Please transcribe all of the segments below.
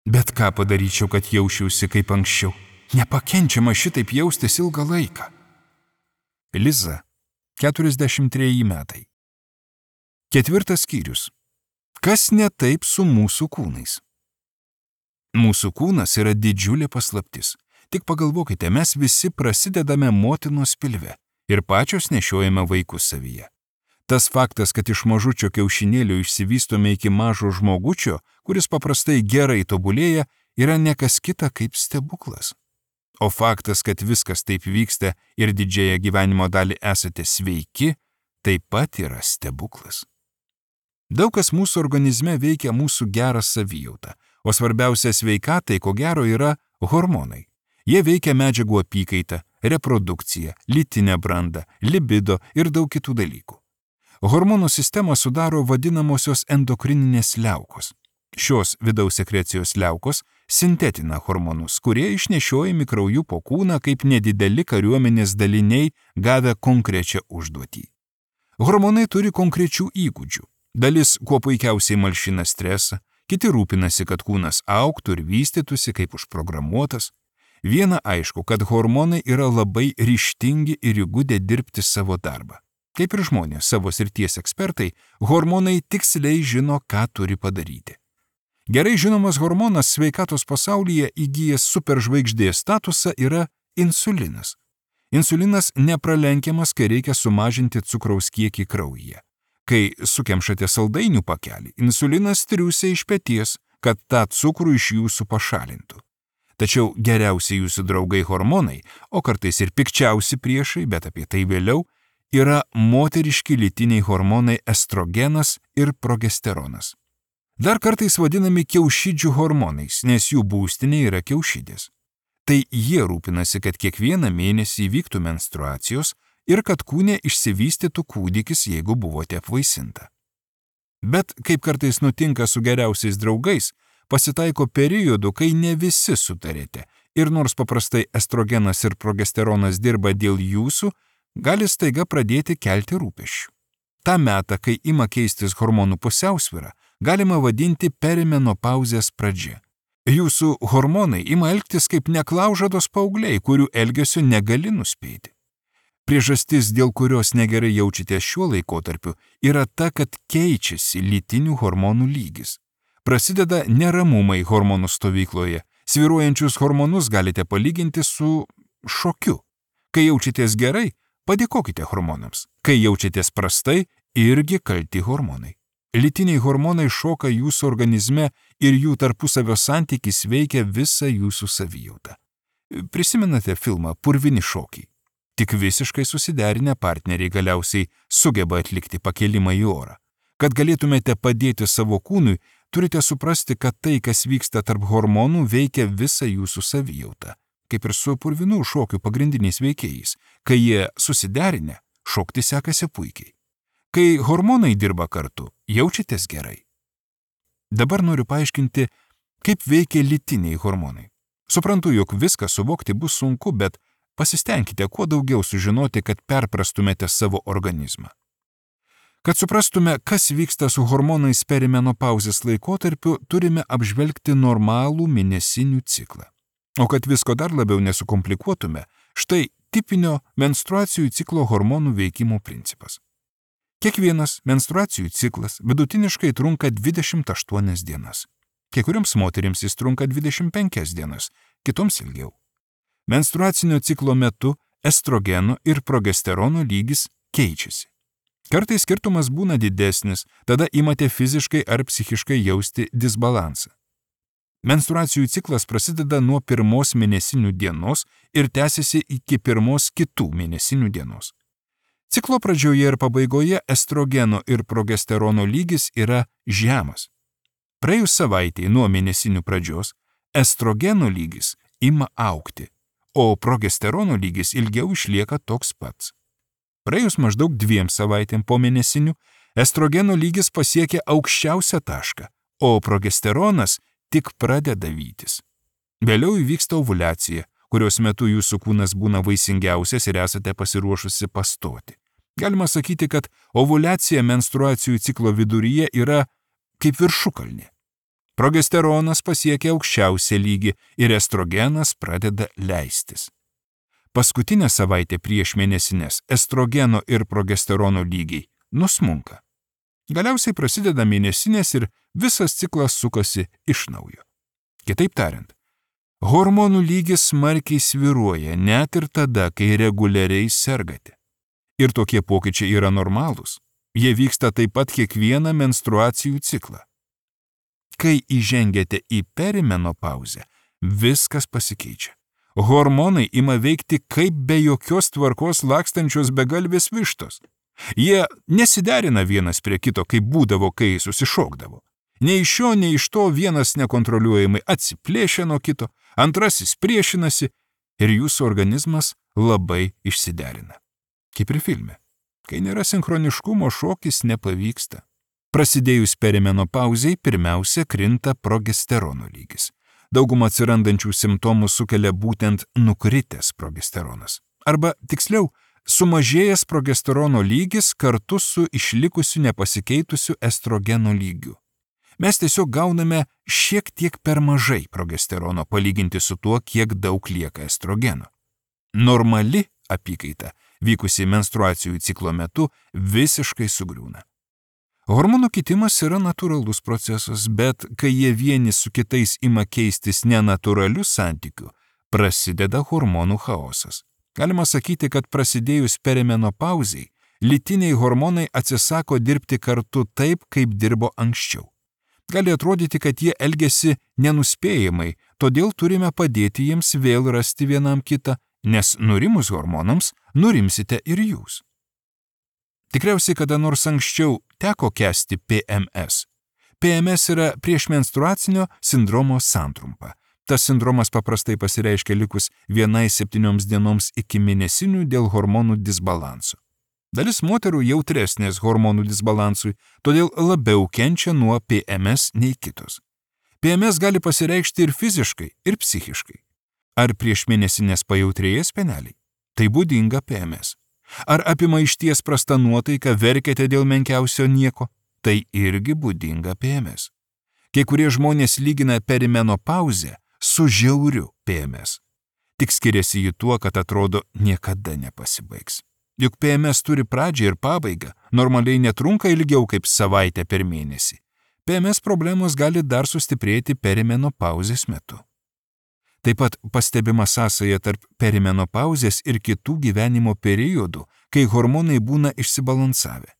Bet ką padaryčiau, kad jausčiausi kaip anksčiau? Nepakenčiama šitaip jaustis ilgą laiką. Liza, 43 metai. 4 skyrius. Kas ne taip su mūsų kūnais? Mūsų kūnas yra didžiulė paslaptis. Tik pagalvokite, mes visi prasidedame motinos pilve ir pačios nešiojame vaikus savyje. Tas faktas, kad iš mažučio kiaušinėlio išsivystome iki mažo žmogučio, kuris paprastai gerai tobulėja, yra nekas kita kaip stebuklas. O faktas, kad viskas taip vyksta ir didžiąją gyvenimo dalį esate sveiki, taip pat yra stebuklas. Daug kas mūsų organizme veikia mūsų gerą savijautą, o svarbiausia sveikatai, ko gero, yra hormonai. Jie veikia medžiagų apykaitą, reprodukciją, lytinę brandą, libido ir daug kitų dalykų. Hormonų sistemą sudaro vadinamosios endokrininės liaukos. Šios vidaus sekrecijos liaukos sintetina hormonus, kurie išnešiojami krauju po kūną kaip nedideli kariuomenės daliniai gavę konkrečią užduotį. Hormonai turi konkrečių įgūdžių. Dalis kuo puikiausiai malšina stresą, kiti rūpinasi, kad kūnas augtų ir vystytųsi kaip užprogramuotas. Viena aišku, kad hormonai yra labai ryžtingi ir įgudę dirbti savo darbą. Kaip ir žmonės, savo srities ekspertai, hormonai tiksliai žino, ką turi padaryti. Gerai žinomas hormonas sveikatos pasaulyje įgyjęs superžvaigždės statusą yra insulinas. Insulinas nepralenkiamas, kai reikia sumažinti cukraus kiekį kraujyje. Kai sukemšate saldainių pakelį, insulinas triūsia iš peties, kad tą cukrų iš jūsų pašalintų. Tačiau geriausi jūsų draugai hormonai, o kartais ir pikčiausi priešai, bet apie tai vėliau, yra moteriški lytiniai hormonai estrogenas ir progesteronas. Dar kartais vadinami kiaušidžių hormonais, nes jų būstinė yra kiaušidės. Tai jie rūpinasi, kad kiekvieną mėnesį vyktų menstruacijos ir kad kūne išsivystytų kūdikis, jeigu buvote apvaisinta. Bet, kaip kartais nutinka su geriausiais draugais, pasitaiko periodų, kai ne visi sutarėte ir nors paprastai estrogenas ir progesteronas dirba dėl jūsų, gali staiga pradėti kelti rūpesčių. Ta metą, kai ima keistis hormonų pusiausvyra, galima vadinti perimenopauzės pradžia. Jūsų hormonai ima elgtis kaip neklaužados paaugliai, kurių elgesio negali nuspėti. Priežastis, dėl kurios negerai jaučiatės šiuo laikotarpiu, yra ta, kad keičiasi lytinių hormonų lygis. Prasideda neramumai hormonų stovykloje. Svyruojančius hormonus galite palyginti su šokiu. Kai jaučiatės gerai, padėkokite hormonams. Kai jaučiatės prastai, irgi kalti hormonai. Lytiniai hormonai šoka jūsų organizme ir jų tarpusavio santykis veikia visą jūsų savijautą. Prisimenate filmą Purvini šokiai? Tik visiškai susiderinę partneriai galiausiai sugeba atlikti pakelimą į orą. Kad galėtumėte padėti savo kūnui, turite suprasti, kad tai, kas vyksta tarp hormonų, veikia visą jūsų savijautą. Kaip ir su purvinų šokių pagrindiniais veikėjais. Kai jie susiderinę, šokti sekasi puikiai. Kai hormonai dirba kartu, jaučiatės gerai. Dabar noriu paaiškinti, kaip veikia lytiniai hormonai. Suprantu, jog viską suvokti bus sunku, bet pasistengkite kuo daugiau sužinoti, kad perprastumėte savo organizmą. Kad suprastume, kas vyksta su hormonais perimenopauzės laikotarpiu, turime apžvelgti normalų mėnesinių ciklą. O kad visko dar labiau nesukomplikuotume, štai tipinio menstruacijų ciklo hormonų veikimo principas. Kiekvienas menstruacijų ciklas vidutiniškai trunka 28 dienas. Kai kurioms moterims jis trunka 25 dienas, kitoms ilgiau. Menstruacinio ciklo metu estrogeno ir progesterono lygis keičiasi. Kartais skirtumas būna didesnis, tada imate fiziškai ar psichiškai jausti disbalansą. Menstruacijų ciklas prasideda nuo 1 mėnesinių dienos ir tęsiasi iki 1 kitų mėnesinių dienos. Ciklo pradžioje ir pabaigoje estrogeno ir progesterono lygis yra žemas. Praėjus savaitei nuo mėnesinių pradžios, estrogeno lygis ima augti, o progesterono lygis ilgiau išlieka toks pats. Praėjus maždaug 2 savaitėm po mėnesinių, estrogeno lygis pasiekia aukščiausią tašką, o progesteronas tik pradeda vytis. Vėliau įvyksta ovuliacija, kurios metu jūsų kūnas būna vaisingiausias ir esate pasiruošusi pastoti. Galima sakyti, kad ovuliacija menstruacijų ciklo viduryje yra kaip viršukalnė. Progesteronas pasiekia aukščiausią lygį ir estrogenas pradeda leistis. Paskutinę savaitę prieš mėnesinės estrogeno ir progesterono lygiai nusmunka. Galiausiai prasideda mėnesinės ir visas ciklas sukasi iš naujo. Kitaip tariant, hormonų lygis smarkiai svyruoja net ir tada, kai reguliariai sergate. Ir tokie pokyčiai yra normalūs. Jie vyksta taip pat kiekvieną menstruacijų ciklą. Kai įžengiate į perimenopauzę, viskas pasikeičia. Hormonai ima veikti kaip be jokios tvarkos lakstančios begalvės vištos. Jie nesiderina vienas prie kito, kaip būdavo, kai susišokdavo. Nei iš šio, nei iš to vienas nekontroliuojamai atsiplėšia nuo kito, antrasis priešinasi ir jūsų organizmas labai išsiderina. Kaip ir filme. Kai nėra sinchroniškumo, šokis nepavyksta. Prasidėjus perimenopauzei pirmiausia krinta progesterono lygis. Daugumą atsirandančių simptomų sukelia būtent nukritęs progesteronas. Arba, tiksliau, sumažėjęs progesterono lygis kartu su išlikusiu nepasikeitusiu estrogeno lygiu. Mes tiesiog gauname šiek tiek per mažai progesterono palyginti su tuo, kiek daug lieka estrogeno. Normali apykaita, vykusi menstruacijų ciklo metu, visiškai sugriūna. Hormonų kitimas yra natūralus procesas, bet kai jie vieni su kitais ima keistis nenatūraliu santykiu, prasideda hormonų chaosas. Galima sakyti, kad prasidėjus perimenopauzei, lytiniai hormonai atsisako dirbti kartu taip, kaip dirbo anksčiau. Gali atrodyti, kad jie elgiasi nenuspėjamai, todėl turime padėti jiems vėl rasti vienam kitą, nes nurimus hormonams, nurimsite ir jūs. Tikriausiai kada nors anksčiau teko kęsti PMS. PMS yra priešmenstruacinio sindromo santrumpa. Tas sindromas paprastai pasireiškia likus 1-7 dienoms iki mėnesinių dėl hormonų disbalanso. Dalis moterų jautresnės hormonų disbalansui, todėl labiau kenčia nuo PMS nei kitos. PMS gali pasireikšti ir fiziškai, ir psichiškai. Ar prieš mėnesinės pajautrėja speneliai? Tai būdinga PMS. Ar apima išties prasta nuotaika, verkiate dėl menkiausio nieko? Tai irgi būdinga PMS. Kai kurie žmonės lygina perimenopauzę su žiauriu PMS. Tik skiriasi jį tuo, kad atrodo niekada nepasibaigs. Juk PMS turi pradžią ir pabaigą, normaliai netrunka ilgiau kaip savaitę per mėnesį. PMS problemos gali dar sustiprėti perimenopauzės metu. Taip pat pastebima sąsaja tarp perimenopauzės ir kitų gyvenimo periodų, kai hormonai būna išsibalansavę.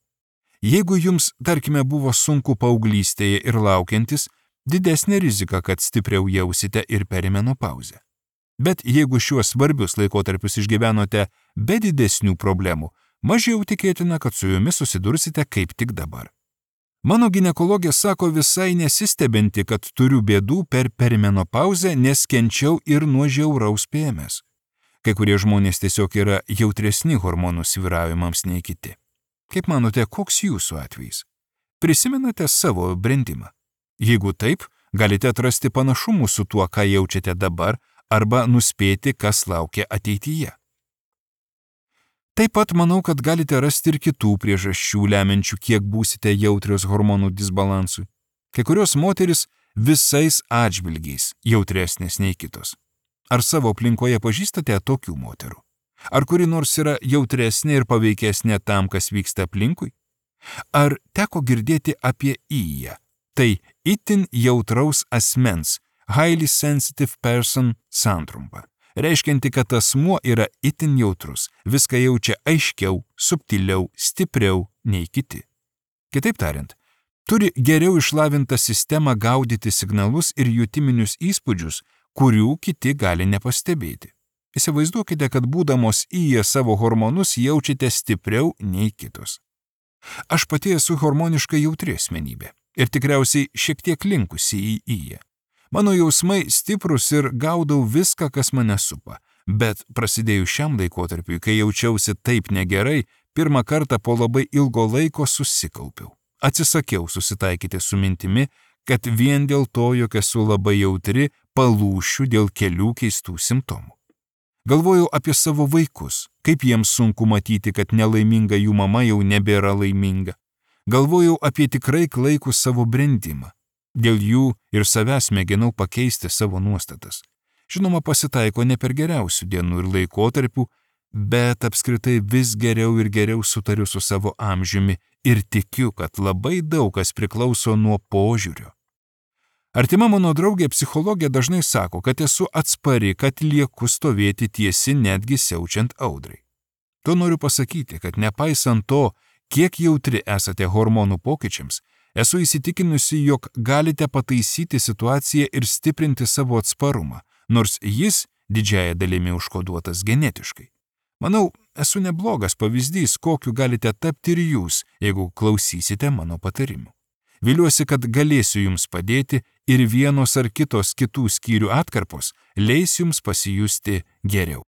Jeigu jums, tarkime, buvo sunku paauglystėje ir laukiantis, didesnė rizika, kad stipriau jausite ir perimenopauzę. Bet jeigu šiuos svarbius laikotarpius išgyvenote be didesnių problemų, mažiau tikėtina, kad su jumis susidursite kaip tik dabar. Mano ginekologė sako visai nesistebinti, kad turiu bėdų per perimenopauzę, nes kenčiau ir nuo žiauraus PMS. Kai kurie žmonės tiesiog yra jautresni hormonų svyravimams nei kiti. Kaip manote, koks jūsų atvejis? Prisimenate savo brendimą? Jeigu taip, galite atrasti panašumų su tuo, ką jaučiate dabar, arba nuspėti, kas laukia ateityje. Taip pat manau, kad galite rasti ir kitų priežasčių lemiančių, kiek būsite jautrios hormonų disbalansui. Kai kurios moteris visais atžvilgiais jautresnės nei kitos. Ar savo aplinkoje pažįstate tokių moterų? Ar kuri nors yra jautresnė ir paveikesnė tam, kas vyksta aplinkui? Ar teko girdėti apie IJA? Tai itin jautraus asmens, highly sensitive person santrumpa, reiškianti, kad asmuo yra itin jautrus, viską jaučia aiškiau, subtiliau, stipriau nei kiti. Kitaip tariant, turi geriau išlavintą sistemą gaudyti signalus ir jutiminius įspūdžius, kurių kiti gali nepastebėti. Įsivaizduokite, kad būdamos įjie savo hormonus jaučiate stipriau nei kitos. Aš pati esu hormoniškai jautri asmenybė ir tikriausiai šiek tiek linkusi į įjie. Mano jausmai stiprus ir gaudau viską, kas mane supa, bet prasidėjus šiam laikotarpiui, kai jaučiausi taip negerai, pirmą kartą po labai ilgo laiko susikaupiau. Atsisakiau susitaikyti su mintimi, kad vien dėl to, jog esu labai jautri, palūšiu dėl kelių keistų simptomų. Galvojau apie savo vaikus, kaip jiems sunku matyti, kad nelaiminga jų mama jau nebėra laiminga. Galvojau apie tikrai klaikų savo brendimą. Dėl jų ir savęs mėginau pakeisti savo nuostatas. Žinoma, pasitaiko ne per geriausių dienų ir laikotarpių, bet apskritai vis geriau ir geriau sutariu su savo amžiumi ir tikiu, kad labai daug kas priklauso nuo požiūrio. Artima mano draugė psichologė dažnai sako, kad esu atspari, kad lieku stovėti tiesi netgi siaučiant audrai. To noriu pasakyti, kad nepaisant to, kiek jautri esate hormonų pokyčiams, esu įsitikinusi, jog galite pataisyti situaciją ir stiprinti savo atsparumą, nors jis didžiąja dalimi užkoduotas genetiškai. Manau, esu neblogas pavyzdys, kokiu galite tapti ir jūs, jeigu klausysite mano patarimų. Viliuosi, kad galėsiu jums padėti ir vienos ar kitos kitų skyrių atkarpos leis jums pasijusti geriau.